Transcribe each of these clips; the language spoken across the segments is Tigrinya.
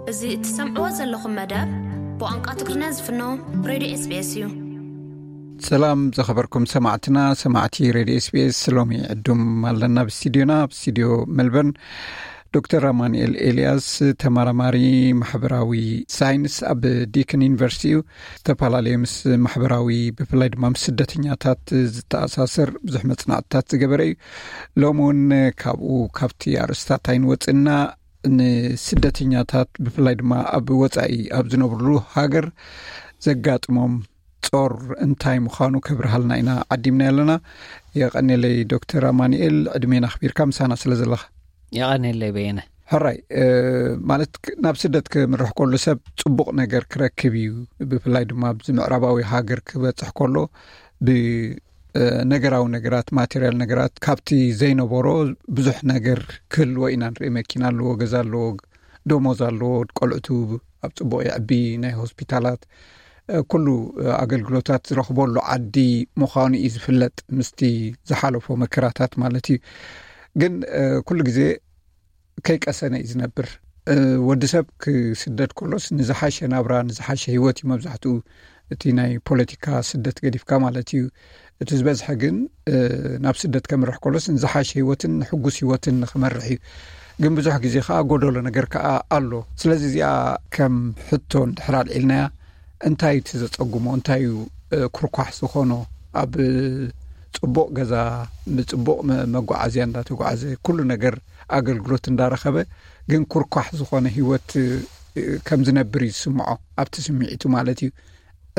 እዚ እትሰምዕዎ ዘለኹም መደብ ብቋንቋ ትግርኛ ዝፍኖ ሬድዮ ኤስቢኤስ እዩ። ሰላም ዝኸበርኩም ሰማዕትና፣ ሰማዕቲ ሬድዮ ኤስቢኤስ፣ ሎሚ ዕዱም ኣለና ኣብ ስቱዲዮና፣ ኣብ ስቱዲዮ ሜልበርን፣ ዶክተር ኣማኑኤል ኤልያስ፣ ተመራማሪ ማሕበራዊ ሳይንስ ኣብ ዲክን ዩኒቨርሲቲ እዩ። ዝተፈላለየ ምስ ማሕበራዊ፣ ብፍላይ ድማ ምስ ስደተኛታት ዝተኣሳሰር ብዙሕ መጽናዕትታት ዝገበረ እዩ። ሎሚ እውን ካብኡ፣ ካብቲ ኣርእስታት ኣይንወጽእና፣ ንስደተኛታት ብፍላይ ድማ ኣብ ወጻኢ ኣብ ዝነብርሉ ሃገር ዘጋጥሞም ጾር እንታይ ምዃኑ ከብርሃልና ኢና ዓዲምና ኣለና። የቐኔለይ ዶክተር ኣማኑኤል፣ ዕድሜን ኣኽቢርካ ምሳና ስለ ዘለኻ። የቐኔለይ በየነ። ሕራይ፣ እ፣ ማለት ክ-፣ ናብ ስደት ክምርሕ ከሎ ሰብ ጽቡቕ ነገር ክረክብ እዩ። ብፍላይ ድማ ኣብዚ ምዕራባዊ ሃገር ክበጽሕ ከሎ ብ-፣ እ፣ ነገራዊ ነገራት፣ ማቴሪያል ነገራት ካብቲ ዘይነበሮ ብዙሕ ነገር ክህልዎ ኢና ንርኢ። መኪና ኣለዎ፣ ገዛ ኣለዎ፣ ደሞዝ ኣለዎ፣ ቆልዕቱ ኣብ ጽቡቕ የዕቢ፣ ናይ ሆስፒታላት፣ እ፣ ኩሉ፣ እ፣ ኣገልግሎታት ዝረኽበሉ ዓዲ ምዃኑ እዩ ዝፍለጥ፣ ምስቲ ዝሓለፎ መከራታት ማለት እዩ። ግን፣ እ፣ ኩሉ ግዜ ከይቀሰነ እዩ ዝነብር። እ፣ ወዲ ሰብ ክስደድ ከሎስ ንዝሓሸ ናብራ፣ ንዝሓሸ ህይወት እዩ መብዛሕትኡ እቲ ናይ ፖለቲካ ስደት ገዲፍካ ማለት እዩ። እቲ ዝበዝሐ ግን፣ እ፣ ናብ ስደት ከምርሕ ከሎስ ንዝሓሸ ህይወትን ንሕጉስ ህይወትን ንኽመርሕ እዩ። ግን ብዙሕ ግዜ ከኣ ጎደሎ ነገር ከኣ ኣሎ። ስለዚ እዚኣ ከም ሕቶ እንድሕር ኣልዒልናያ፣ እንታይ እቲ ዘጸጉሞ፣ እንታይ እዩ፣ እ፣ ኩርኳሕ ዝኾኖ? ኣብ ጽቡቕ ገዛ፣ ብጽቡቕ መ-፣ መጓዓዝያ እንዳተጓዓዘ፣ ኩሉ ነገር ኣገልግሎት እንዳረኸበ፣ ግን ኩርኳሕ ዝኾነ ህይወት፣ እ፣ ከም ዝነብር እዩ ዝስምዖ፣ ኣብቲ ስምዒቱ ማለት እዩ።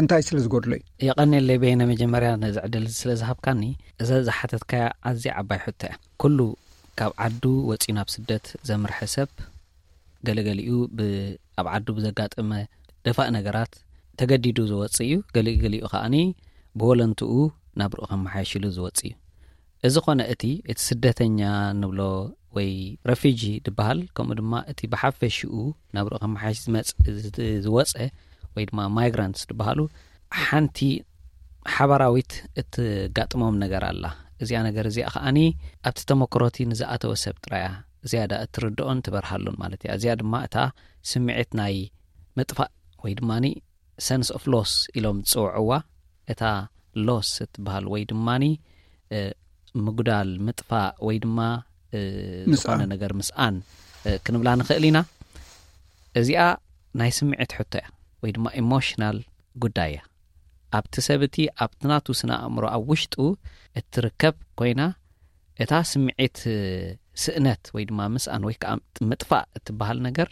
እንታይ ስለ ዝጎድሎ እዩ? የቐኔለይ በየነ፣ መጀመርያ ነዚ ዕድል እዚ ስለ ዝሃብካኒ። እዛ ዝሓተትካያ ኣዝያ ዓባይ ሕቶ እያ። ኩሉ ካብ ዓዱ ወጺኡ ናብ ስደት ዘምርሐ ሰብ፣ ገለገሊኡ ብ-፣ ኣብ ዓዱ ብዘጋጠመ ደፋእ ነገራት ተገዲዱ ዝወጽእ እዩ። ገሊኡ፣ ገሊኡ ከኣኒ ብወለንትኡ ናብርኡ ከመሓየሽሉ ዝወጽእ እዩ። እዚ ኾነ እቲ፣ እቲ ስደተኛ ንብሎ ወይ ረፊጂ ድበሃል፣ ከምኡ ድማ እቲ ብሓፈሽኡ ናብርኡ ከመሓየሽ ዝመጽ-፣ ዝ-፣ ዝወጸ ወይ ድማ ማይግራንትስ ድበሃሉ፣ ሓንቲ ሓባራዊት እትጋጥሞም ነገር ኣላ። እዚኣ ነገር እዚኣ ከኣኒ ኣብቲ ተመክሮቲ ንዝኣተወ ሰብ ጥራያ ዝያዳ እትርድኦን ትበርሃሉን ማለት እያ። እዚኣ ድማ እታ ስምዒት ናይ ምጥፋእ ወይ ድማኒ ሰንስ ኦፍ ሎስ ኢሎም ዝጽውዕዋ፣ እታ ሎስ እትበሃል ወይ ድማኒ፣ እ፣ ምጉዳል፣ ምጥፋእ ወይ ድማ፣ እ፣ ምስኣን። ዝኾነ ነገር ምስኣን፣ እ፣ ክንብላ ንኽእል ኢና። እዚኣ ናይ ስምዒት ሕቶ እያ ወይ ድማ ኢሞሽናል ጉዳይ እያ። ኣብቲ ሰብ እቲ ኣብቲ ናቱ ስነ ኣእምሮ ኣብ ውሽጡ እትርከብ ኮይና፣ እታ ስምዒት፣ እ፣ ስእነት ወይ ድማ ምስኣን ወይ ከዓ ምጥፋእ እትበሃል ነገር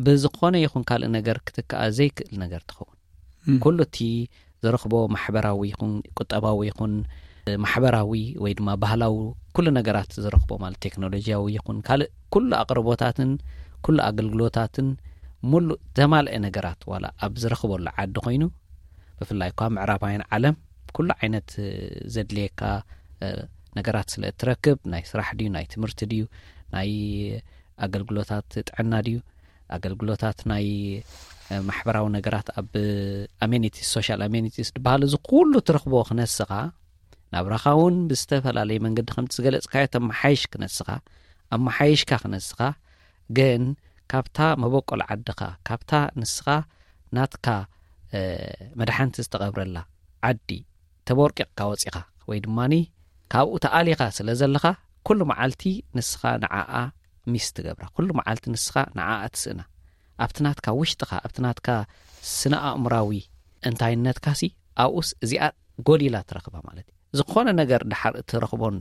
ብዝኾነ ይኹን ካልእ ነገር ክትከኣ ዘይክእል ነገር ትኸውን። ም። ኩሉ እቲ ዝረኽቦ ማሕበራዊ ይኹን ቁጠባዊ ይኹን፣ እ፣ ማሕበራዊ ወይ ድማ ባህላዊ ኩሉ ነገራት ዝረኽቦ ማለት ቴክኖሎጂያዊ ይኹን ካልእ ኩሉ ኣቕርቦታትን ኩሉ ኣገልግሎታትን ሙሉእ ዘማልአ ነገራት ዋላ ኣብ ዝረኽበሉ ዓዲ ኮይኑ፣ ብፍላይ እኳ ምዕራባውያን ዓለም ኩሉ ዓይነት፣ እ፣ ዘድልየካ፣ እ፣ ነገራት ስለ እትረክብ፣ ናይ ስራሕ ድዩ፣ ናይ ትምህርቲ ድዩ፣ ናይ ኣገልግሎታት ጥዕና ድዩ፣ ኣገልግሎታት ናይ፣ እ፣ ማሕበራዊ ነገራት ኣብ ኣሜኒቲስ፣ ሶሻል ኣሜኒቲስ ዝበሃል እዚ ኩሉ ትረኽቦ ክነስኻ፣ ናብራኻ እውን ብዝተፈላለየ መንገዲ ከምቲ ዝገለጽካዮ ተመሓይሽ ክነስኻ፣ ኣመሓይሽካ ክነስኻ፣ ግን ካብታ መበቆል ዓድኻ፣ ካብታ ንስኻ ናትካ፣ እ፣ መድሓንቲ ዝተቐብረላ ዓዲ ተቦርቂቕካ ወጺኻ ወይ ድማኒ ካብኡ ተኣሊኻ ስለ ዘለኻ፣ ኩሉ መዓልቲ ንስኻ ንዓኣ ሚስ ትገብራ፣ ኩሉ መዓልቲ ንስኻ ንዓኣ ትስእና። ኣብቲ ናትካ ውሽጥኻ፣ ኣብቲ ናትካ ስነ ኣእምራዊ እንታይነትካሲ ኣብኡስ እዚኣ ጎዲላ ትረኽባ ማለት እዩ። ዝኾነ ነገር ድሓር እትረኽቦን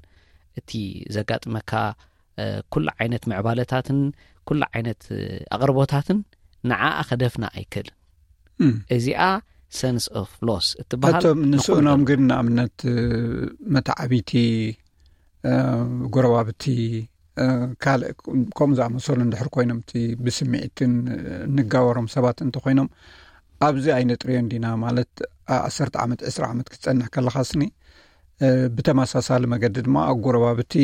እቲ ዘጋጥመካ፣ እ፣ ኩሉ ዓይነት ምዕባለታትን ኩሉ ዓይነት፣ እ፣ ኣቕርቦታትን ንዓኣ ከደፍና ኣይክእልን። እም። እዚኣ ሰንስ ኦፍ ሎስ እትበሃል እቶም ንስእኖም ንኹሉ ግን ንኣብነት፣ እ፣ መተዓቢቲ፣ እ፣ ጎረባብቲ፣ እ፣ ካልእ ከምኡ ዝኣመሰሉ እንድሕር ኮይኖም እቲ ብስምዒትን፣ እ፣ እንጋወሮም ሰባት እንተኾይኖም ኣብዚ ኣይነጥርዮን ዲና ማለት ዓ-፣ ዓሰርተ ዓመት፣ ዕስራ ዓመት ክትጸንሕ ከለኻስኒ፣ እ፣ ብተመሳሳሊ መገዲ ድማ ኣጎረባብቲ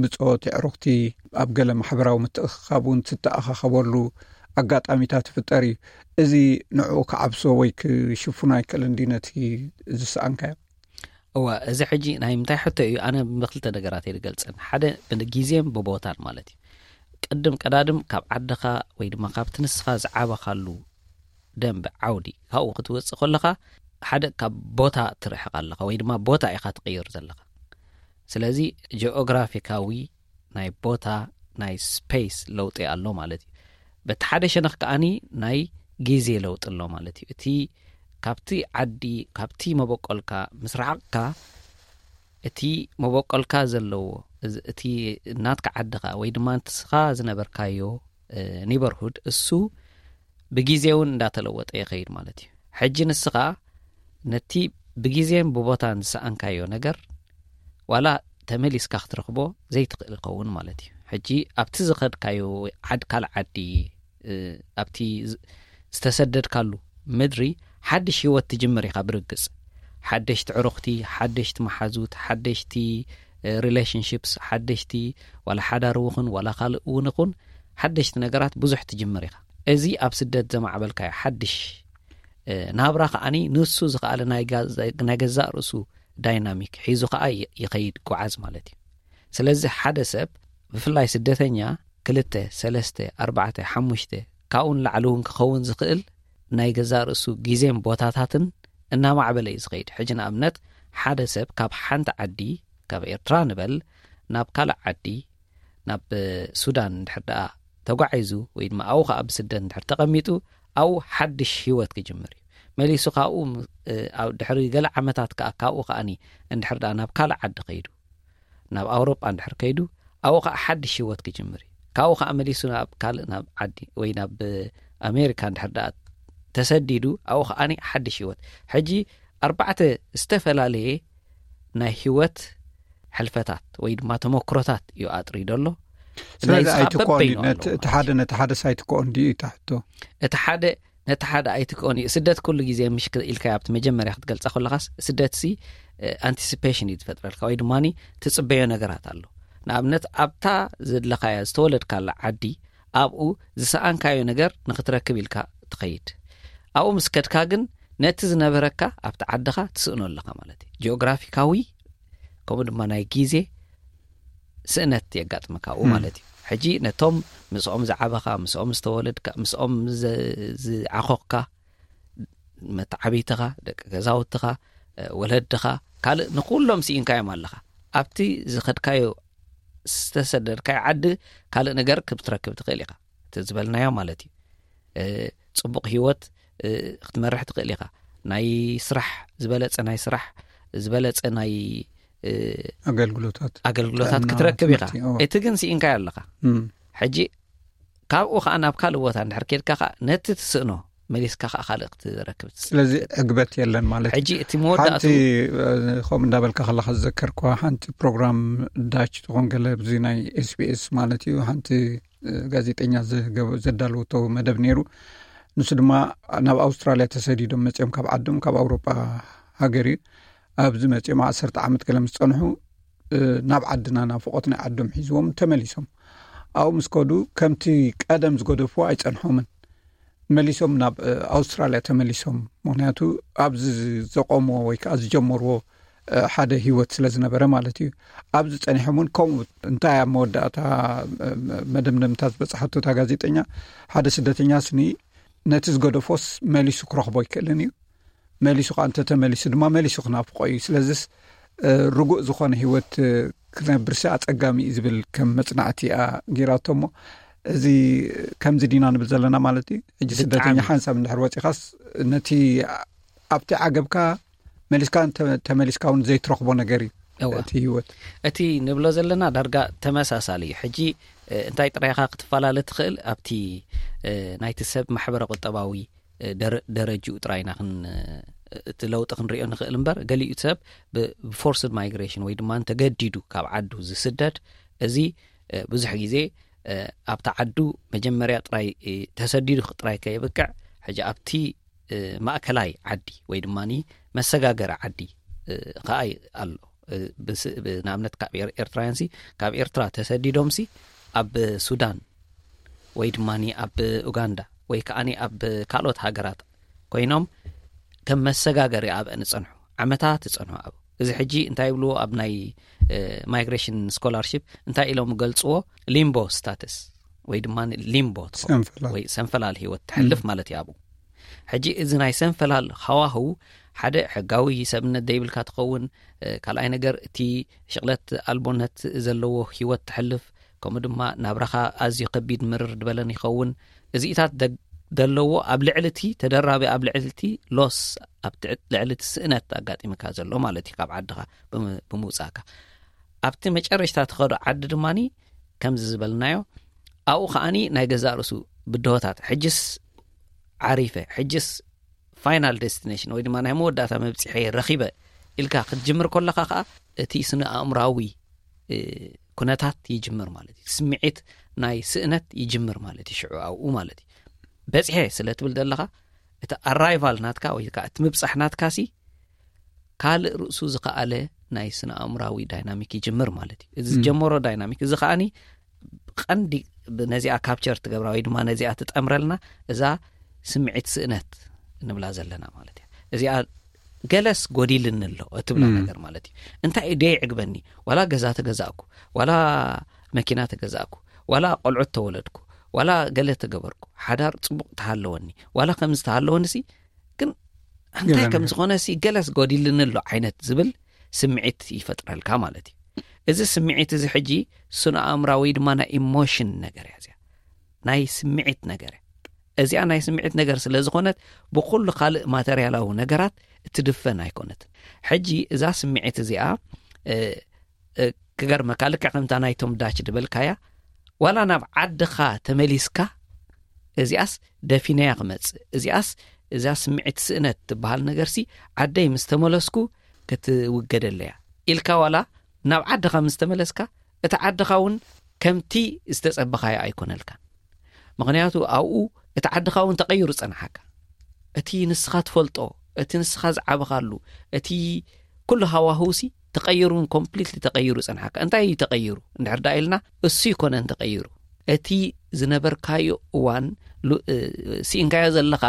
ብጾት የዕሩኽቲ ኣብ ገለ ማሕበራዊ ምትእኽኻብ እውን ትተኣኻኸበሉ ኣጋጣሚታት ይፍጠር እዩ። እዚ ንዕኡ ክዓብሶ ወይ ክሽፍኖ ኣይክእልን ድዩ ነቲ ዝሰኣንካዮ? እወ፣ እዚ ሕጂ ናይ ምንታይ ሕቶ እዩ? ኣነ ብክልተ ነገራት እየ ዝገልጸን። ሓደ ብግዜን ብቦታን ማለት እዩ። ቅድም ቀዳድም ካብ ዓድኻ ወይ ድማ ካብቲ ንስኻ ዝዓበኻሉ ደንበ ዓውዲ ካብኡ ክትወፅእ ከለኻ ሓደ ካብ ቦታ ትርሕቕ ኣለኻ ወይ ድማ ቦታ ኢኻ ትቕይር ዘለኻ። ስለዚ ጂኦግራፊካዊ ናይ ቦታ ናይ ስፔስ ለውጢ ኣሎ ማለት እዩ። በቲ ሓደ ሸነኽ ከዓኒ ናይ ግዜ ለውጢ ኣሎ ማለት እዩ። እቲ ካብቲ ዓዲ ካብቲ መበቆልካ ምስ ረሓቕካ እቲ መበቆልካ ዘለዎ እዚ- እቲ ናትካ ዓድኻ ወይ ድማ ንስኻ ዝነበርካዮ ኔበርሁድ እሱ ብግዜ እውን እንዳተለወጠ ይኸይድ ማለት እዩ። ሕጂ ንስኻ ነቲ ብግዜን ብቦታን ዝሰኣንካዮ ነገር ዋላ ተመሊስካ ክትረኽቦ ዘይትኽእል ይኸውን ማለት እዩ። ሕጂ ኣብቲ ዝኸድካዮ ዓድ ካልእ ዓዲ እ፣ ኣብቲ ዝ- ዝተሰደድካሉ ምድሪ ሓድሽ ህይወት ትጅምር ኢኻ ብርግጽ። ሓደሽቲ ዕሩኽቲ፣ ሓደሽቲ መሓዙት፣ ሓደሽቲ ሪሌሽንሽፕስ፣ ሓደሽቲ ዋላ ሓዳር ውኽን ዋላ ካልእ እውን ይኹን ሓደሽቲ ነገራት ብዙሕ ትጅምር ኢኻ። እዚ ኣብ ስደት ዘማዕበልካዮ ሓድሽ እ፣ ናብራ ከዓኒ ንሱ ዝኸኣለ ናይ ጋ- ናይ ገዛእ ርእሱ ዳይናሚክ ሒዙ ከኣ ይ- ይኸይድ ጓዓዝ ማለት እዩ። ስለዚ ሓደ ሰብ ብፍላይ ስደተኛ ክልተ ሰለስተ ኣርባዕተ ሓሙሽተ ካብኡ ንላዕሊ እውን ክኸውን ዝኽእል ናይ ገዛእ ርእሱ ግዜን ቦታታትን እናማዕበለ እዩ ዝኸይድ። ሕጂ ንኣብነት ሓደ ሰብ ካብ ሓንቲ ዓዲ ካብ ኤርትራ ንበል ናብ ካልእ ዓዲ ናብ ሱዳን እንድሕር ደኣ ተጓዒዙ ወይ ድማ ኣብኡ ከኣ ብስደት እንድሕር ተቐሚጡ ኣብኡ ሓድሽ ህይወት ክጅምር እዩ። መሊሱ ካብኡ ም- እ፣ ኣብ ድሕሪ ገለ ዓመታት ከኣ ካብኡ ከኣኒ እንድሕር ደኣ ናብ ካልእ ዓዲ ከይዱ ናብ ኣውሮጳ እንድሕር ከይዱ ኣብኡ ከኣ ሓድሽ ህይወት ክጅምር እዩ። ካብኡ ከኣ መሊሱ ናብ ካልእ ናብ ዓዲ ወይ ናብ ኣሜሪካ እንድሕር ደኣ ተሰዲዱ ኣብኡ ከኣኒ ሓድሽ ህይወት። ሕጂ ኣርባዕተ ዝተፈላለየ ናይ ህይወት ሕልፈታት ወይ ድማ ተመክሮታት እዩ ኣጥሪዶ ኣሎ። ስለዚ ናይዚ ከዓ ኣይትክኦን በበይኑ ድዩ? ኣለዎ ነቲ- እቲ ማለት ሓደ እዩ። ነቲ ሓደ ሳይትክኦን ድዩ እዩ ትሕቶ? እቲ ሓደ ነቲ ሓደ ኣይትክኦን እዩ። ስደት ኩሉ ግዜ ምሽ ኢልካ ኣብቲ መጀመርያ ክትገልጻ ከለኻስ ስደትሲ ኣንቲሲፔሽን እዩ ዝፈጥረልካ ወይ ድማ ትጽበዮ ነገራት ኣሎ። ንኣብነት ኣብታ ዘለኻያ ዝተወለድካላ ዓዲ ኣብኡ ዝሰኣንካዮ ነገር ንክትረክብ ኢልካ ትኸይድ። ኣብኡ ምስ ከድካ ግን ነቲ ዝነበረካ ኣብቲ ዓድኻ ትስእኖ ኣለኻ ማለት እዩ። ጂኦግራፊካዊ ከምኡ ድማ ናይ ግዜ ስእነት የጋጥመካ ኣብኡ ማለት እዩ። ሕጂ ነቶም ምስኦም ዝዓበኻ ምስኦም ዝተወለድካ ምስኦም ዝዓኾኽካ መተዓብይትኻ ደቂ ገዛውትኻ ወለድኻ ካልእ ንኩሎም ስኢንካዮም ኣለኻ። ኣብቲ ዝኸድካዮ ዝተሰደድካዮ ዓዲ ካልእ ነገር ክትረክብ ትኽእል ኢኻ። እቲ ዝበልናዮ ማለት እዩ። ጽቡቕ ህይወት ክትመርሕ ትኽእል ኢኻ። ናይ ስራሕ ዝበለጸ ናይ ስራሕ ዝበለጸ ናይ ኣገልግሎታት ኣገልግሎታት ክትረክብ ኢኻ። እቲ ግን ስኢንካዮ ኣለኻ። ሕጂ ካብኡ ከዓ ናብ ካልእ ቦታ እንድሕር ኬድካ ከዓ ነቲ ትስእኖ መሊስካ ከዓ ካልእ ክትረክብ ትስእል። ስለዚ ዕግበት የለን ማለት እዩ። ሕጂ እቲ መወዳእቱ ሓንቲ ከምኡ እንዳበልካ ከለካ ዝዘከርኳ ሓንቲ ፕሮግራም ዳች ትኾን ገለ ብዚ ናይ ኤስቢኤስ ማለት እዩ ሓንቲ ጋዜጠኛ ዘዳለወቶ መደብ ነይሩ። ንሱ ድማ ናብ ኣውስትራልያ ተሰዲዶም መፅኦም ካብ ዓዶም ካብ ኣውሮጳ ሃገር እዩ። ኣብዚ መፅኦም ዓሰርተ ዓመት ገለ ምስ ፀንሑ ናብ ዓድና ናብ ፍቆት ናይ ዓዶም ሒዝዎም ተመሊሶም። ኣብኡ ምስ ከዱ ከምቲ ቀደም ዝገደፍዎ ኣይፀንሖምን። መሊሶም ናብ ኣውስትራልያ ተመሊሶም። ምክንያቱ ኣብዚ ዘቆምዎ ወይ ከዓ ዝጀመርዎ ሓደ ህይወት ስለ ዝነበረ ማለት እዩ። ኣብዚ ፀኒሖም እውን ከምኡ እንታይ ኣብ መወዳእታ መደምደምታ ዝበፅሓቶ እታ ጋዜጠኛ ሓደ ስደተኛ ስኒ ነቲ ዝገደፎስ መሊሱ ክረኽቦ ኣይክእልን እዩ። መሊሱ ከዓ እንተተመሊሱ ድማ መሊሱ ክናፍቆ እዩ። ስለዚስ ርጉእ ዝኾነ ህይወት ክነብርሲ ኣፀጋሚ እዩ ዝብል ከም መፅናዕቲ እያ ገይራቶ። እሞ እዚ ከምዚ ዲና ንብል ዘለና ማለት እዩ። ሕጂ ስደተኛ ሓንሳብ እንድሕር ወፂኻስ ነቲ ኣብቲ ዓገብካ መሊስካ ተመሊስካ እውን ዘይትረኽቦ ነገር እዩ እቲ ህይወት። እቲ ንብሎ ዘለና ዳርጋ ተመሳሳሊ እዩ። ሕጂ እንታይ ጥራይካ ክትፈላለ ትኽእል ኣብቲ ናይቲ ሰብ ማሕበረ ቁጠባዊ ደረጅኡ ጥራይ ኢና እቲ ለውጢ ክንሪኦ ንኽእል እምበር ገሊኡ ሰብ ብፎርስድ ማይግሬሽን ወይ ድማ ተገዲዱ ካብ ዓዱ ዝስደድ እዚ ብዙሕ ግዜ ኣብቲ ዓዱ መጀመርያ ጥራይ ተሰዲዱ ጥራይ ከየብቅዕ ሕጂ ኣብቲ ማእከላይ ዓዲ ወይ ድማ መሰጋገሪ ዓዲ ከኣ ኣሎ። ንኣብነት ካብ ኤርትራውያን ሲ ካብ ኤርትራ ተሰዲዶም ሲ ኣብ ሱዳን ወይ ድማ ኣብ ኡጋንዳ ወይ ከዓ ኣብ ካልኦት ሃገራት ኮይኖም ከም መሰጋገሪ ኣብአን ዝፀንሑ ዓመታት ዝፀንሑ ኣብ እዚ ሕጂ እንታይ ይብልዎ ኣብ ናይ ማይግሬሽን ስኮላርሽፕ እንታይ ኢሎም ገልፅዎ ሊምቦ ስታተስ ወይ ድማ ሊምቦ ትኸውን፣ ሰንፈላል። ወይ ሰንፈላል ህይወት ትሕልፍ ማለት እዩ ኣብኡ። ሕጂ እዚ ናይ ሰንፈላል ሃዋህው ሓደ ሕጋዊ ሰብነት ዘይብልካ ትኸውን። ካልኣይ ነገር፣ እቲ ሽቕለት ኣልቦነት ዘለዎ ህይወት ትሕልፍ፣ ከምኡ ድማ ናብራኻ ኣዝዩ ከቢድ ምርር ዝበለን ይኸውን። እዚኢታት ደግ- ዘለዎ ኣብ ልዕሊ እቲ ተደራቢ፣ ኣብ ልዕሊ እቲ ሎስ፣ ኣብ ትዕ- ልዕሊ እቲ ስእነት ኣጋጢምካ ዘሎ ማለት እዩ። ካብ ዓድኻ ብም- ብምውፃእካ ኣብቲ መጨረሽታ ትኸዶ ዓዲ ድማኒ ከምዚ ዝበልናዮ፣ ኣብኡ ከዓኒ ናይ ገዛእ ርእሱ ብድሆታት፣ ሕጅስ ዓሪፈ፣ ሕጅስ ፋይናል ዴስቲኔሽን ወይ ድማ ናይ መወዳእታ መብፅሐ ረኺበ ኢልካ ክትጅምር ከለኻ ከዓ እቲ ስነ ኣእምራዊ ኩነታት ይጅምር ማለት እዩ። ስምዒት ናይ ስእነት ይጅምር ማለት እዩ። ሽዑ ኣብኡ ማለት እዩ በፅሐ ስለ ትብል ዘለኻ፣ እቲ ኣራይቫል ናትካ ወይ ከዓ እቲ ምብፃሕ ናትካ ሲ ካልእ ርእሱ ዝኸኣለ ናይ ስነ ኣእምራዊ ዳይናሚክ ይጅምር ማለት እዩ። እዚ ዝጀመሮ ዳይናሚክ እዚ ከዓኒ ቀንዲ ነዚኣ ካፕቸር ትገብራ ወይ ድማ ነዚኣ ትጠምረልና እዛ ስምዒት ስእነት እንብላ ዘለና ማለት እያ። እዚኣ ገለስ ጎዲልኒ ኣሎ እትብላ ነገር ማለት እዩ። እንታይ እዩ ደይ ዕግበኒ? ዋላ ገዛ ተገዛእኩ፣ ዋላ መኪና ተገዛእኩ፣ ዋላ ቆልዑት ተወለድኩ፣ ዋላ ገለ ተገበርኩ፣ ሓዳር ፅቡቕ ተሃለወኒ፣ ዋላ ከምዚ ተሃለወኒ ሲ ግን እንታይ ከም ዝኾነ ሲ ገለስ ጎዲልኒ ኣሎ ዓይነት ዝብል ስምዒት ይፈጥረልካ ማለት እዩ። እዚ ስምዒት እዚ ሕጂ ስነ ኣእምራዊ ድማ ናይ ኢሞሽን ነገር እያ። እዚኣ ናይ ስምዒት ነገር እያ። እዚኣ ናይ ስምዒት ነገር ስለ ዝኾነት ብኩሉ ካልእ ማተርያላዊ ነገራት እትድፈን ኣይኮነትን። ሕጂ እዛ ስምዒት እዚኣ ክገርመካ፣ ልክዕ ከምታ ናይቶም ዳች ዝበልካያ፣ ዋላ ናብ ዓድኻ ተመሊስካ እዚኣስ ደፊነያ ክመጽእ፣ እዚኣስ እዛ ስምዒት ስእነት ትበሃል ነገርሲ ዓደይ ምስ ተመለስኩ ክትውገደለያ ኢልካ ዋላ ናብ ዓድኻ ምስ ተመለስካ፣ እቲ ዓድኻ እውን ከምቲ ዝተጸበኻዮ ኣይኮነልካን። ምኽንያቱ ኣብኡ እቲ ዓድኻ እውን ተቐይሩ ጸንሓካ። እቲ ንስኻ ትፈልጦ፣ እቲ ንስኻ ዝዓበኻሉ፣ እቲ ኩሉ ሃዋህውሲ ተቐይሩን ኮምፕሊትሊ ተቐይሩ ጸንሓካ። እንታይ እዩ ተቐይሩ እንድሕር ዳ ኢልና፣ እሱ ይኮነን ተቐይሩ። እቲ ዝነበርካዮ እዋን ሉ- እ፣ ስኢንካዮ ዘለኻ፣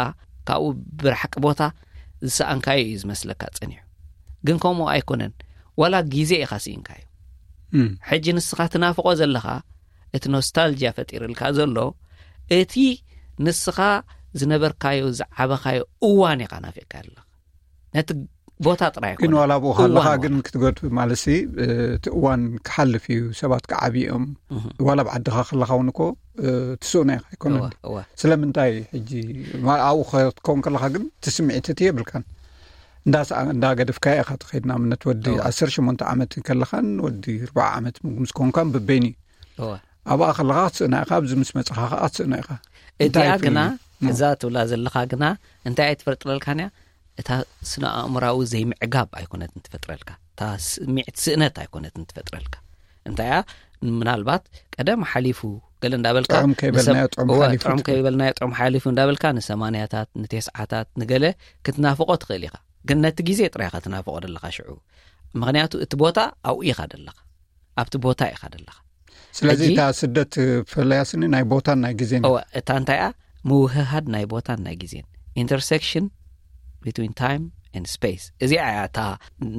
ካብኡ ብርሕቂ ቦታ ዝሰኣንካዮ እዩ ዝመስለካ ጸኒሑ። ግን ከምኡ ኣይኮነን። ዋላ ግዜ ኢኻ ስኢንካዮ። ሕጂ ንስኻ ትናፍቆ ዘለኻ፣ እቲ ኖስታልጂያ ፈጢርልካ ዘሎ፣ እቲ ንስኻ ዝነበርካዮ ዝዓበኻዮ እዋን ኢኻ ናፊቅካ ኣለኻ። ነቲ ቦታ ጥራይ ግን ዋላ ብኡ ከለኻ ግን ክትገድ ማለሲ እቲ እዋን ክሓልፍ እዩ። ሰባት ክዓብዮም ዋላ ብዓድኻ ከለኻ እውን እኮ ትስእኖ ኢኻ ኣይኮነን። ስለምንታይ ሕጂ ኣብኡ ክትከውን ከለኻ ግን እቲ ስምዒት እቲ የብልካን። እንዳገደፍካዮ ኢኻ ትኸይድ። ንኣብነት ወዲ ዓሰርተ ሸሞንተ ዓመት ከለኻን ወዲ ኣርባዓ ዓመት ምስ ኮንካን በበይኑ እዩ። ኣብኣ ከለኻ ክትስእና ኢኻ፣ ኣብዚ ምስ መፅኻ ከዓ ክትስእና ኢኻ። እዚኣ ግና እዛ ትብላ ዘለኻ ግና እንታይ ኣይትፈጥረልካን እያ? እታ ስነ ኣእምራዊ ዘይምዕጋብ ኣይኮነትን ትፈጥረልካ፣ እታ ስምዒት ስእነት ኣይኮነትን ትፈጥረልካ። እንታይ እያ? ምናልባት ቀደም ሓሊፉ ገለ እንዳበልካ ጥዑም ከይበልናዮ ጥዑም ሓሊፉ እንዳበልካ ንሰማንያታት ንቴስዓታት ንገለ ክትናፍቆ ትኽእል ኢኻ። ግን ነቲ ግዜ ጥራይ ኢኻ ትናፍቆ ዘለኻ ሽዑ። ምኽንያቱ እቲ ቦታ ኣብኡ ኢኻ ዘለኻ፣ ኣብቲ ቦታ ኢኻ ዘለኻ። ስለዚ እታ ስደት ፈለያስኒ ናይ ቦታን ናይ ግዜን እታ እንታይ እያ? ምውህሃድ ናይ ቦታን ናይ ግዜን፣ intersection between time and space። እዚኣ እያ እታ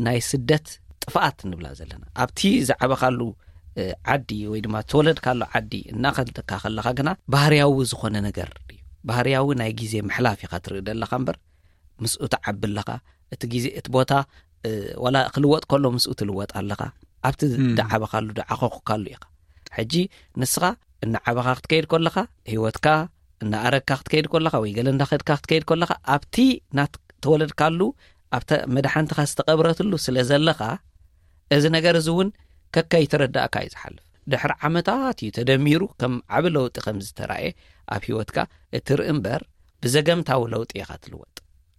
ናይ ስደት ጥፍኣት ንብላ ዘለና። ኣብቲ ዝዓበኻሉ ዓዲ ወይ ድማ ተወለድካሉ ዓዲ እናኸድካ ከለኻ ግና ባህርያዊ ዝኾነ ነገር እዩ። ባህርያዊ ናይ ግዜ ምሕላፍ ኢኻ ትርኢ ዘለኻ እምበር ምስኡ ትዓቢ ኣለኻ። እቲ ግዜ እቲ ቦታ ዋላ ክልወጥ ከሎ ምስኡ ትልወጥ ኣለኻ። ኣብቲ ዝዓበኻሉ ዝዓኸኹካሉ ኢኻ። ሕጂ ንስኻ እናዓበኻ ክትከይድ ከለኻ፣ ህይወትካ እናኣረግካ ክትከይድ ከለኻ ወይ ገለ እንዳኸድካ ክትከይድ ከለኻ ኣብቲ ናት ተወለድካሉ ኣብታ መድሓንትኻ ዝተቐብረትሉ ስለ ዘለኻ እዚ ነገር እዚ እውን ከከይተረዳእካ እዩ ዝሓልፍ። ድሕሪ ዓመታት እዩ ተደሚሩ ከም ዓቢ ለውጢ ከም ዝተራእየ ኣብ ህይወትካ እትርኢ እምበር ብዘገምታዊ ለውጢ ኢኻ ትልወጥ።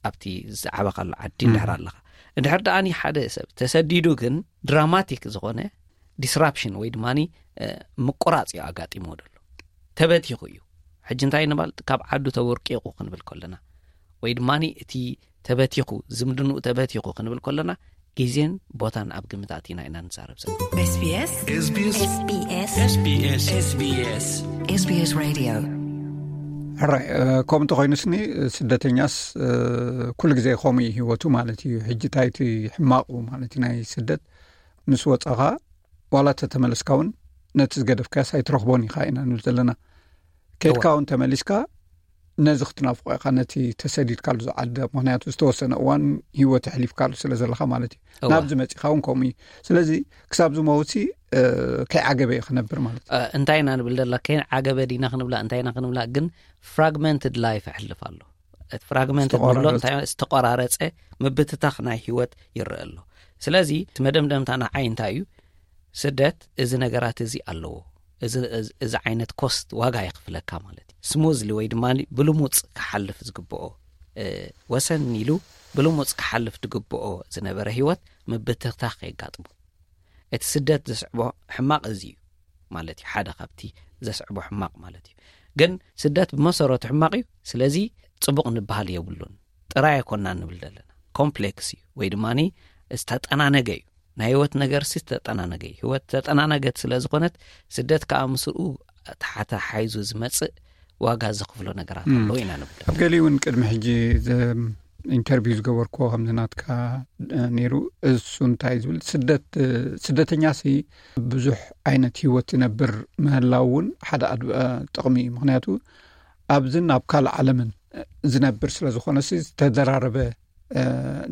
ኣብቲ ዝዓበኻሉ ዓዲ እንድሕር ኣለኻ እንድሕር ደኣኒ ሓደ ሰብ ተሰዲዱ ግን ድራማቲክ ዝኾነ ዲስራፕሽን ወይ ድማ ምቁራፅ እዩ ኣጋጢሞ ዘሎ። ተበቲኹ እዩ። ሕጂ እንታይ ንባል ካብ ዓዱ ተወርቂቑ ክንብል ከለና ወይ ድማ እቲ ተበቲኹ ዝምድንኡ ተበቲኹ ክንብል ከለና ግዜን ቦታን ኣብ ግምት ኣቲና ኢና ንዛረብ ዘለና። SBS SBS SBS SBS SBS Radio። ሕራይ ከምኡ እንተኾይኑስኒ ስደተኛስ ኩሉ ግዜ ከምኡ እዩ ህይወቱ ማለት እዩ። ሕጂ እንታይ እቲ ሕማቑ ማለት እዩ ናይ ስደት ምስ ወፃኻ ዋላ ተተመለስካ እውን ነቲ ዝገደፍካስ ኣይትረኽቦን ኢኻ ኢና ንብል ዘለና። ከድካ እውን ተመሊስካ ነዚ ክትናፍቆ ኢኻ፣ ነቲ ተሰዲድካሉ ዝዓዲ። ምክንያቱ ዝተወሰነ እዋን ህይወት ኣሕሊፍካሉ ስለ ዘለኻ ማለት እዩ። ናብዚ መፂኻ እውን ከምኡ እዩ። ስለዚ ክሳብ ዝመውሲ ከይዓገበ እዩ ክነብር ማለት እዩ። እንታይ ኢና ንብል ደላ? ከይዓገበ ዲና ክንብላ እንታይ ኢና ክንብላ? ግን ፍራግመንትድ ላይፍ ኣሕልፍ ኣሎ። እቲ ፍራግመንትድ ንብሎ ዝተቆራረፀ ምብትታኽ ናይ ህይወት ይረአ ኣሎ። ስለዚ እቲ መደምደምታ ንዓይ እንታይ እዩ? ስደት እዚ ነገራት እዚ ኣለዎ። እዚ ዓይነት ኮስት ዋጋ የኽፍለካ ማለት እዩ። ስሙዝሊ ወይ ድማ ብልሙፅ ክሓልፍ ዝግብኦ፣ ወሰን ኢሉ ብልሙፅ ክሓልፍ ዝግብኦ ዝነበረ ህይወት ምብትታኽ ከየጋጥሞ፣ እቲ ስደት ዘስዕቦ ሕማቕ እዚ እዩ ማለት እዩ። ሓደ ካብቲ ዘስዕቦ ሕማቕ ማለት እዩ። ግን ስደት ብመሰረቱ ሕማቕ እዩ። ስለዚ ፅቡቕ ንበሃል የብሉን። ጥራይ ኣይኮናን ንብል ዘለና። ኮምፕሌክስ እዩ ወይ ድማ ዝተጠናነገ እዩ። ናይ ህይወት ነገር ሲ ዝተጠናነገ እዩ። ህይወት ተጠናነገት ስለ ዝኾነት ስደት ከዓ ምስኡ ተሓታሓይዙ ዝመፅእ ዋጋ ዘኽፍሎ ነገራት ኣለዎ ኢና ንብል። ኣብ ገሊኡ እውን ቅድሚ ሕጂ ኢንተርቪው ዝገበርኩዎ ከምዚ ናትካ ነይሩ። እሱ እንታይ ዝብል፣ ስደት ስደተኛ ሲ ብዙሕ ዓይነት ህይወት ዝነብር ምህላው እውን ሓደ ጥቕሚ እዩ። ምክንያቱ ኣብዝን ኣብ ካልእ ዓለምን ዝነብር ስለ ዝኾነ ሲ ዝተደራረበ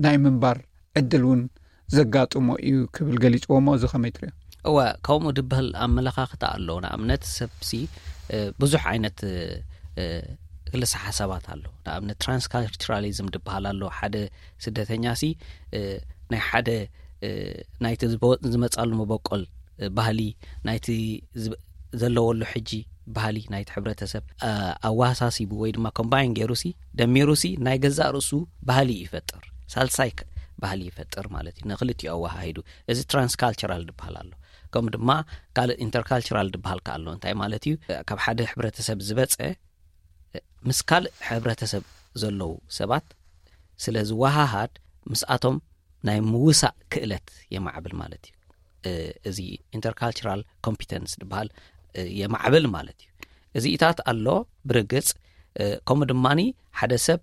ናይ ምንባር ዕድል እውን ዘጋጥሞ እዩ ክብል ገሊፅዎ። እሞ እዚ ከመይ ትሪኦ? እወ፣ ከምኡ ድበሃል ኣመለኻኽታ ኣሎ። ንኣብነት ሰብሲ ብዙሕ ዓይነት ክልሰ ሓሳባት ኣሎ። ንኣብነት ትራንስካልቸራሊዝም ድበሃል ኣሎ። ሓደ ስደተኛ ሲ ናይ ሓደ ናይቲ ዝመፃሉ መበቆል ባህሊ፣ ናይቲ ዘለወሉ ሕጂ ባህሊ ናይቲ ሕብረተሰብ ኣወሳሲቡ ወይ ድማ ኮምባይን ገይሩ ሲ ደሚሩ ሲ ናይ ገዛእ ርእሱ ባህሊ ይፈጥር። ሳልሳይ ባህሊ ይፈጥር ማለት እዩ፣ ንክልቲኡ ኣወሃሂዱ። እዚ ትራንስካልቸራል ድበሃል ኣሎ። ከምኡ ድማ ካልእ ኢንተርካልቸራል ድበሃል ከ ኣሎ። እንታይ ማለት እዩ? ካብ ሓደ ሕብረተሰብ ዝበፀ ምስ ካልእ ሕብረተሰብ ዘለዉ ሰባት ስለ ዝወሃሃድ ምስኣቶም ናይ ምውሳእ ክእለት የማዕብል ማለት እዩ። እዚ ኢንተርካልቸራል ኮምፒተንስ ድበሃል የማዕብል ማለት እዩ። እዚኢታት ኣሎ ብርግፅ። ከምኡ ድማ ሓደ ሰብ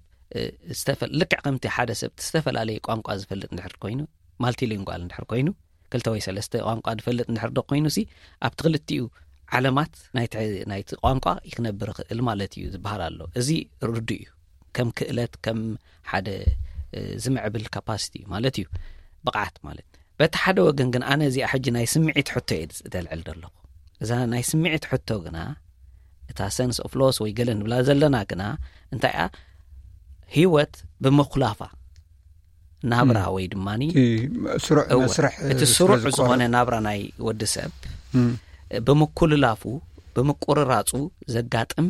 ልክዕ ከምቲ ሓደ ሰብ ዝተፈላለየ ቋንቋ ዝፈልጥ እንድሕር ኮይኑ፣ ማልቲሊንጓል እንድሕር ኮይኑ፣ ክልተ ወይ ሰለስተ ቋንቋ ዝፈልጥ እንድሕር ዶ ኮይኑ ሲ ኣብቲ ክልቲኡ ዓለማት ናይቲ ቋንቋ ይክነብር ይኽእል ማለት እዩ ዝበሃል ኣሎ። እዚ ርዱእ እዩ። ከም ክእለት፣ ከም ሓደ ዝምዕብል ካፓሲቲ ማለት እዩ፣ ብቕዓት ማለት። በቲ ሓደ ወገን ግን ኣነ እዚኣ ሕጂ ናይ ስምዒት ሕቶ እየ ዘልዕል ዘለኹ። እዛ ናይ ስምዒት ሕቶ ግና እታ ሰንስ ኦፍ ሎስ ወይ ገለ ንብላ ዘለና ግና እንታይ እያ? ህይወት ብምኩላፋ ናብራ ወይ ድማ እቲ ስሩዕ እወ፣ መስርሕ እቲ ስሩዕ ዝኾነ ናብራ ናይ ወዲ ሰብ ብምኩልላፉ ብምቁርራፁ ዘጋጥም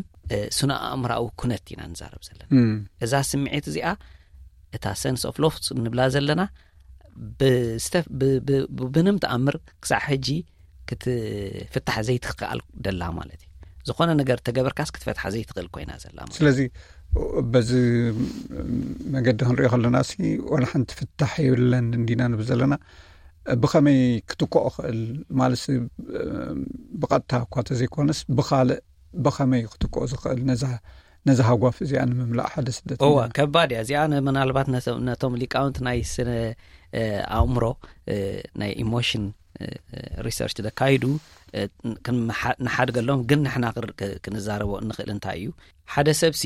ስነ ኣእምራዊ ኩነት ኢና ንዛረብ ዘለና። እዛ ስምዒት እዚኣ እታ ሰንስ ኦፍ ሎስ ንብላ ዘለና ብምንም ተኣምር ክሳዕ ሕጂ ክትፍታሕ ዘይትኽኣል ደላ ማለት እዩ። ዝኾነ ነገር ተገበርካስ ክትፈትሓ ዘይትኽእል ኮይና ዘላ ማለት። ስለዚ በዚ መገዲ ክንሪኦ ከለና ሲ ዋላ ሓንቲ ፍታሕ የብለን እንዲና ንብል ዘለና። ብኸመይ ክትክኦ ክእል ማለት፣ ብቐጥታ እኳ ተዘይኮነስ ብኻልእ ብኸመይ ክትክኦ ዝኽእል ነዛ ነዛ ሃጓፍ እዚኣ ንምምላእ ሓደ ስደት እወ፣ ከባድ እያ እዚኣ። ምናልባት ነቶም ሊቃውንት ናይ ስነ ኣእምሮ፣ ናይ ኢሞሽን ሪሰርች ዘካይዱ ንሓድገሎም፣ ግን ንሕና ክንዛረቦ እንኽእል እንታይ እዩ፣ ሓደ ሰብሲ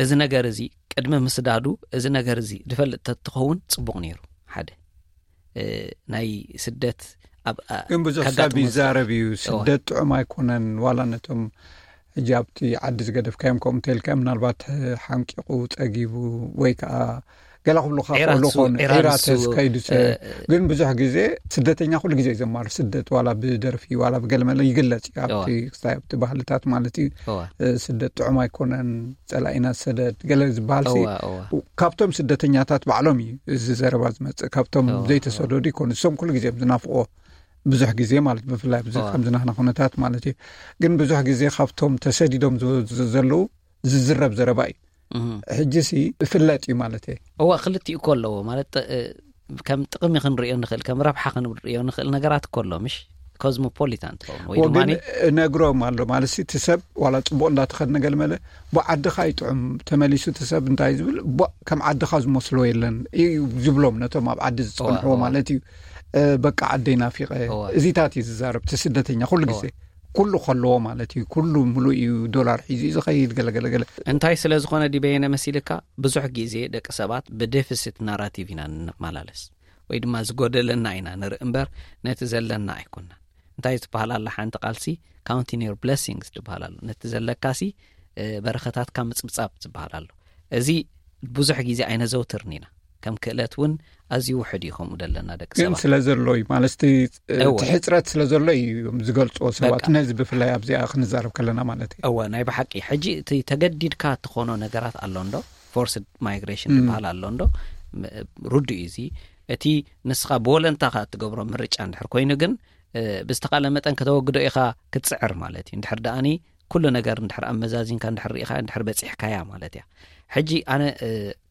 እዚ ነገር እዚ ቅድሚ ምስዳዱ እዚ ነገር እዚ ድፈልጥ ተትኸውን ፅቡቕ ነይሩ። ሓደ ናይ ስደት ኣብ ግን ብዙሕ ሰብ ይዛረብ እዩ። ስደት ጥዑም ኣይኮነን፣ ዋላ ነቶም ሕጂ ኣብቲ ዓዲ ዝገደፍካዮም ከምኡ እንተልካ ምናልባት ሓንቂቑ ፀጊቡ ወይ ከዓ ገላ ክብሉካ ክእሉ ኮኑ ዒራተስ ከይዱ። ግን ብዙሕ ግዜ ስደተኛ ኩሉ ግዜ ዘማር ስደት ዋላ ብደርፊ ዋላ ብገለመለ ይግለፅ እዩ ኣብቲ ክስታይ ኣብቲ ባህልታት ማለት እዩ። ስደት ጥዑም ኣይኮነን፣ ፀላኢና ሰደድ ገለ ዝበሃል ሲ ካብቶም ስደተኛታት ባዕሎም እዩ እዚ ዘረባ ዝመፅእ። ካብቶም ዘይተሰደዱ ይኮኑ፣ እሶም ኩሉ ግዜ ዝናፍቆ ብዙሕ ግዜ ማለት ብፍላይ ኣብዚ ከምዚ ናህና ኩነታት ማለት እዩ። ግን ብዙሕ ግዜ ካብቶም ተሰዲዶም ዘለዉ ዝዝረብ ዘረባ እዩ። ሕጂ ሲ ይፍለጥ እዩ ማለት እየ። እዋ ክልቲኡ እኮ ኣለዎ ማለት ከም ጥቕሚ ክንሪኦ ንኽእል ከም ረብሓ ክንሪኦ ንኽእል ነገራት እኮ ኣሎ ምሽ ኮዝሞፖሊታን ትኸውን ወይ ድማ ነግሮም ኣሎ ማለት እቲ ሰብ ዋላ ፅቡቕ እንዳተኸድነ ገልመለ ብዓድኻ ይጥዑም ተመሊሱ እቲ ሰብ እንታይ ዝብል ከም ዓድኻ ዝመስሎ የለን እዩ ዝብሎም ነቶም ኣብ ዓዲ ዝፀንሕዎ ማለት እዩ። በቃ ዓደይ ናፊቐ እዚታት እዩ ዝዛረብ እቲ ስደተኛ ኩሉ ግዜ። ኩሉ ከለዎ ማለት እዩ። ኩሉ ምሉእ እዩ፣ ዶላር ሒዙ እዩ ዝኸይድ፣ ገለገለገለ። እንታይ ስለ ዝኾነ ድዩ በየነ መሲልካ? ብዙሕ ግዜ ደቂ ሰባት ብዴፊሲት ናራቲቭ ኢና ንመላለስ፣ ወይ ድማ ዝጎደለና ኢና ንርኢ እምበር ነቲ ዘለና ኣይኮናን። እንታይ ዝበሃል ኣላ ሓንቲ ቃልሲ? Counting your blessings ዝበሃል ኣሎ። ነቲ ዘለካሲ በረኸታትካ ምጽብጻብ ዝበሃል ኣሎ። እዚ ብዙሕ ግዜ ኣይነዘውትርን ኢና። ከም ክእለት እውን ኣዝዩ ውሕድ እዩ ከምኡ ዘለና ደቂ ሰባት። ስለ ዘሎ እዩ ማለት እቲ ሕፅረት ስለ ዘሎ እዩ ዝገልፅዎ ሰባት፣ ነዚ ብፍላይ ኣብዚኣ ክንዛረብ ከለና ማለት እዩ። እወ፣ ናይ ብሓቂ ሕጂ እቲ ተገዲድካ እትኾኖ ነገራት ኣሎ እንዶ፣ ፎርስድ ማይግሬሽን ዝበሃል ኣሎ እንዶ፣ ርዱ እዩ። እዚ እቲ ንስኻ ብወለንታኻ እትገብሮ ምርጫ እንድሕር ኮይኑ ግን ብዝተኻለ መጠን ከተወግዶ ኢኻ ክትፅዕር ማለት እዩ። እንድሕር ደኣኒ ኩሉ ነገር እንድሕር ኣመዛዚንካ እንድሕር ርኢኻ እንድሕር በፂሕካያ ማለት እያ። ሕጂ ኣነ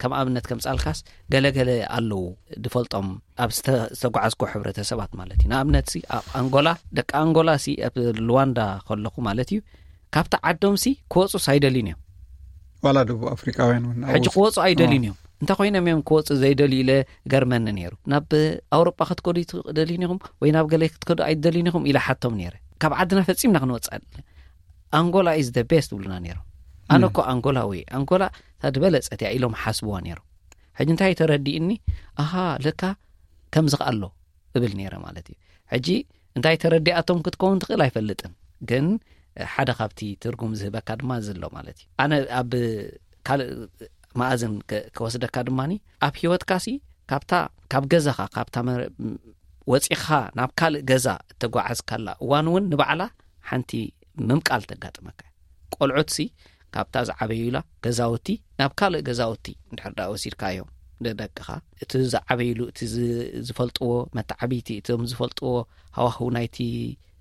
ከም ኣብነት ከምፃልካስ ገለገለ ኣለዉ ዝፈልጦም ኣብ ዝተጓዓዝኮ ሕብረተሰባት ማለት እዩ። ንኣብነት ሲ ኣብ ኣንጎላ፣ ደቂ ኣንጎላ ሲ ኣብ ሉዋንዳ ከለኹ ማለት እዩ፣ ካብቲ ዓዶም ሲ ክወፁ ኣይደልዩን እዮም። ዋላ ደቡብ ኣፍሪቃውያን እውን ሕጂ ክወፁ ኣይደልዩን እዮም። እንታይ ኮይኖም እዮም ክወፁ ዘይደልዩ ኢለ ገርመኒ ነይሩ። ናብ ኣውሮጳ ክትከዱ ኣይትደልዩን ኢኹም ወይ ናብ ገለ ክትከዱ ኣይትደልዩን ኢኹም ኢለ ሓቶም ነይረ። ካብ ዓድና ፈፂምና ክንወፅእ ኣንጎላ is the best ይብሉና ነይሮም። ኣነ እኮ ኣንጎላዊ፣ ኣንጎላ እታ ዝበለፀት እያ ኢሎም ሓስብዋ ነይሮም። ሕጂ እንታይ ተረዲእኒ? ኣሃ፣ ለካ ከምዚ ከ ኣሎ እብል ነይረ ማለት እዩ። ሕጂ እንታይ ተረዲኣቶም ክትከውን ትኽእል ኣይፈልጥን፣ ግን ሓደ ካብቲ ትርጉም ዝህበካ ድማ እዚ ኣሎ ማለት እዩ። ኣነ ኣብ ካልእ መኣዝን ከ- ከወስደካ ድማ ኣብ ህይወትካሲ ካብታ ካብ ገዛኻ ካብታ መ- ወፂኻ ናብ ካልእ ገዛ እተጓዓዝካላ እዋን እውን ንባዕላ ሓንቲ ምምቃል ተጋጥመካ። ቆልዑትሲ ካብታ ዝዓበዩላ ገዛውቲ ናብ ካልእ ገዛውቲ እንድሕር ደኣ ወሲድካዮም ንደቅኻ፣ እቲ ዝዓበይሉ፣ እቲ ዝ- ዝፈልጥዎ መተዓብይቲ፣ እቶም ዝፈልጥዎ ሃዋህው ናይቲ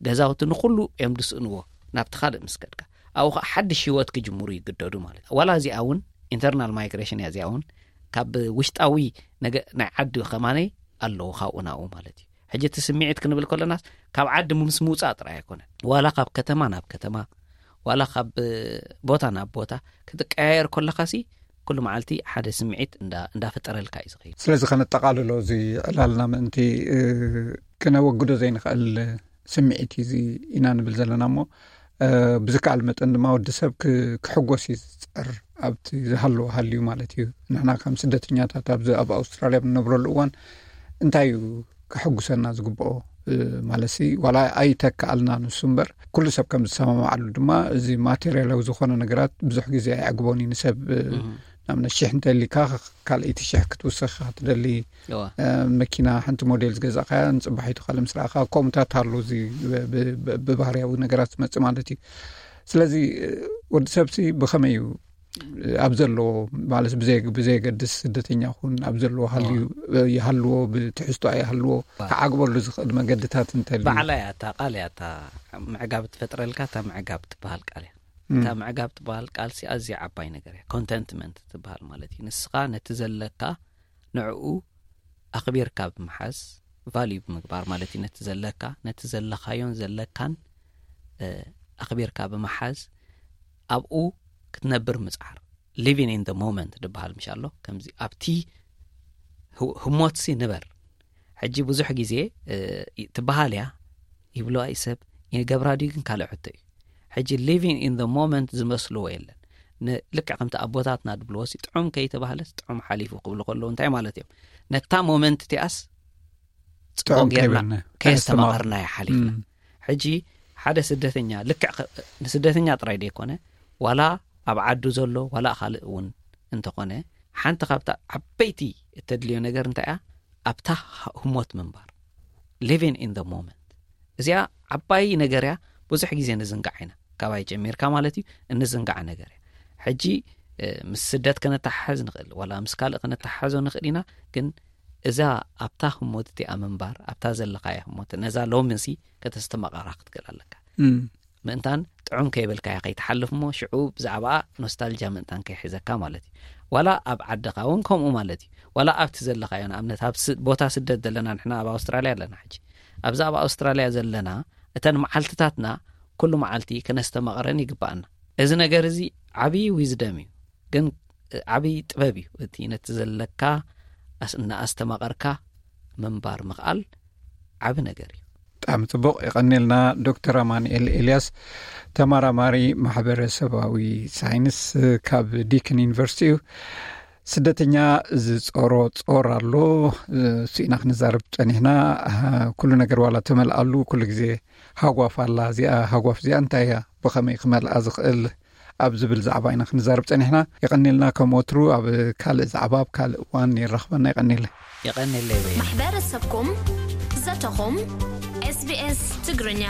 ገዛውቲ ንኹሉ እዮም ዝስእንዎ። ናብቲ ካልእ ምስ ከድካ ኣብኡ ከዓ ሓድሽ ህይወት ክጅምሩ ይግደዱ ማለት እዩ። ዋላ እዚኣ እውን ኢንተርናል ማይግሬሽን እያ። እዚኣ እውን ካብ ውሽጣዊ ነገ ናይ ዓዲ ከማነይ ኣለዎ ካብኡ ናብኡ ማለት እዩ። ሕጂ እቲ ስምዒት ክንብል ከለናስ ካብ ዓዲ ምስ ምውፃእ ጥራይ ኣይኮነን። ዋላ ካብ ከተማ ናብ ከተማ፣ ዋላ ካብ ቦታ ናብ ቦታ ክትቀያየር ከለካሲ ኩሉ መዓልቲ ሓደ ስምዒት እንዳ- እንዳፈጠረልካ እዩ ዝኸይድ። ስለዚ ከነጠቓልሎ እዚ ዕላልና ምእንቲ እ፣ ክነወግዶ ዘይንኽእል ስምዒት እዩ እዚ ኢና ንብል ዘለና እሞ እ፣ ብዝከኣል መጠን ድማ ወዲ ሰብ ክ- ክሕጎስ እዩ ዝፅዕር ኣብቲ ዝሃለዎ ሃልዩ ማለት እዩ። ንሕና ከም ስደተኛታት ኣብዚ ኣብ ኣውስትራልያ ብንነብረሉ እዋን እንታይ እዩ ከሐጉሰና ዝግብኦ ማለት ሲ ዋላ ኣይተከኣልና ንሱ እምበር ኩሉ ሰብ ከም ዝሰማማዓሉ ድማ እዚ ማቴሪያላዊ ዝኾነ ነገራት ብዙሕ ግዜ ኣይዕግቦን እዩ ንሰብ ንኣብነት ሽሕ እንተሊካ ካልኣይቲ ሽሕ ክትውስኽ ኢኻ ትደሊ መኪና ሓንቲ ሞዴል ዝገዛእካያ ንፅባሒቱ ካልእ ምስ ረኣኻ ከምኡታት ኣሎ እዚ ብባህርያዊ ነገራት ዝመፅእ ማለት እዩ ስለዚ ወዲ ሰብ ሲ ብኸመይ እዩ ኣብ ዘለዎ ማለት ብዘይ ብዘየገድስ ስደተኛ ኩን ኣብ ዘለዎ ሃልዩ ይሃልዎ ብትሕዝቶ ኣይሃልዎ ክዓግበሉ ዝኽእል መገድታት እንተልዩ ባዕላ እያ እታ ቃል እያ እታ ምዕጋብ ትፈጥረልካ እታ ምዕጋብ ትበሃል ቃል እያ እታ ምዕጋብ ትበሃል ቃል ሲ ኣዝያ ዓባይ ነገር እያ ኮንተንትመንት ትበሃል ማለት እዩ ንስኻ ነቲ ዘለካ ንዕኡ ኣኽቢርካ ብምሓዝ ቫልዩ ብምግባር ማለት እዩ ነቲ ዘለካ ነቲ ዘለኻዮን ዘለካን ኣኽቢርካ ብምሓዝ ኣብኡ ክትነብር ምፅዓር living in the moment ዝበሃል ምሽ ኣሎ ከምዚ ኣብቲ ህሞትሲ ንበር ሕጂ ብዙሕ ግዜ ትበሃል እያ ይብለዋ እዩ ሰብ ይገብራ ድዩ ግን ካልእ ሕቶ እዩ ሕጂ living in the moment ዝመስልዎ የለን ልክዕ ከምቲ ኣቦታትና ድብልዎ ሲ ጥዑም ከይተባህለስ ጥዑም ሓሊፉ ክብሉ ከለዉ እንታይ ማለት እዮም ነታ ሞመንት እቲኣስ ፅቡቅ ጌርና ከየስተማቐርናዮ ሓሊፍና ሕጂ ሓደ ስደተኛ ልክዕ ንስደተኛ ጥራይ ደይኮነ ዋላ ኣብ ዓዱ ዘሎ ዋላ ካልእ እውን እንተኾነ ሓንቲ ካብታ ዓበይቲ እተድልዮ ነገር እንታይ እያ ኣብታ ህሞት ምንባር living in the moment እዚኣ ዓባይ ነገር እያ ብዙሕ ግዜ ንዝንጋዕ ኢና ካባይ ጀሚርካ ማለት እዩ እንዝንጋዕ ነገር እያ ሕጂ ምስ ስደት ከነተሓሕዝ ንኽእል ዋላ ምስ ካልእ ከነተሓሕዞ ንኽእል ኢና ግን እዛ ኣብታ ህሞት እቲኣ ምንባር ኣብታ ዘለኻያ ህሞት ነዛ ሎምንሲ ከተስተማቐራ ክትክእል ኣለካ ምእንታን ጥዑም ከይበልካያ ከይትሓልፍ እሞ ሽዑ ብዛዕባኣ ኖስታልጃ ምእንታን ከይሕዘካ ማለት እዩ ዋላ ኣብ ዓድኻ እውን ከምኡ ማለት እዩ ዋላ ኣብቲ ዘለኻዮ ንኣብነት ኣብ ቦታ ስደት ዘለና ንሕና ኣብ ኣውስትራልያ ኣለና ሕጂ ኣብዛ ኣብ ኣውስትራልያ ዘለና እተን መዓልትታትና ኩሉ መዓልቲ ከነስተማቕረን ይግባኣና እዚ ነገር እዚ ዓብዪ ዊዝደም እዩ ግን ዓብዪ ጥበብ እዩ እቲ ነቲ ዘለካ እናኣስተማቐርካ ምንባር ምኽኣል ዓቢ ነገር እዩ ብጣዕሚ ጽቡቕ፣ የቐንየልና። ዶክተር ኣማኑኤል ኤልያስ፣ ተመራማሪ ማሕበረሰባዊ ሳይንስ ካብ ዲክን ዩኒቨርሲቲ እዩ። ስደተኛ ዝጾሮ ጾር ኣሎ፣ እሱ ኢና ክንዛረብ ጸኒሕና። ኩሉ ነገር ዋላ ተመልኣሉ፣ ኩሉ ግዜ ሃጓፍ ኣላ። እዚኣ ሃጓፍ እዚኣ እንታይ እያ? ብኸመይ ክመልኣ ዝኽእል? ኣብ ዝብል ዛዕባ ኢና ክንዛረብ ጸኒሕና። የቐንየልና። ከም ወትሩ ኣብ ካልእ ዛዕባ ኣብ ካልእ እዋን ይራኽበና። የቐንየለይ። የቐንየለይ በየ። ማሕበረሰብኩም፣ ዘተኹም፣ SBS ትግርኛ።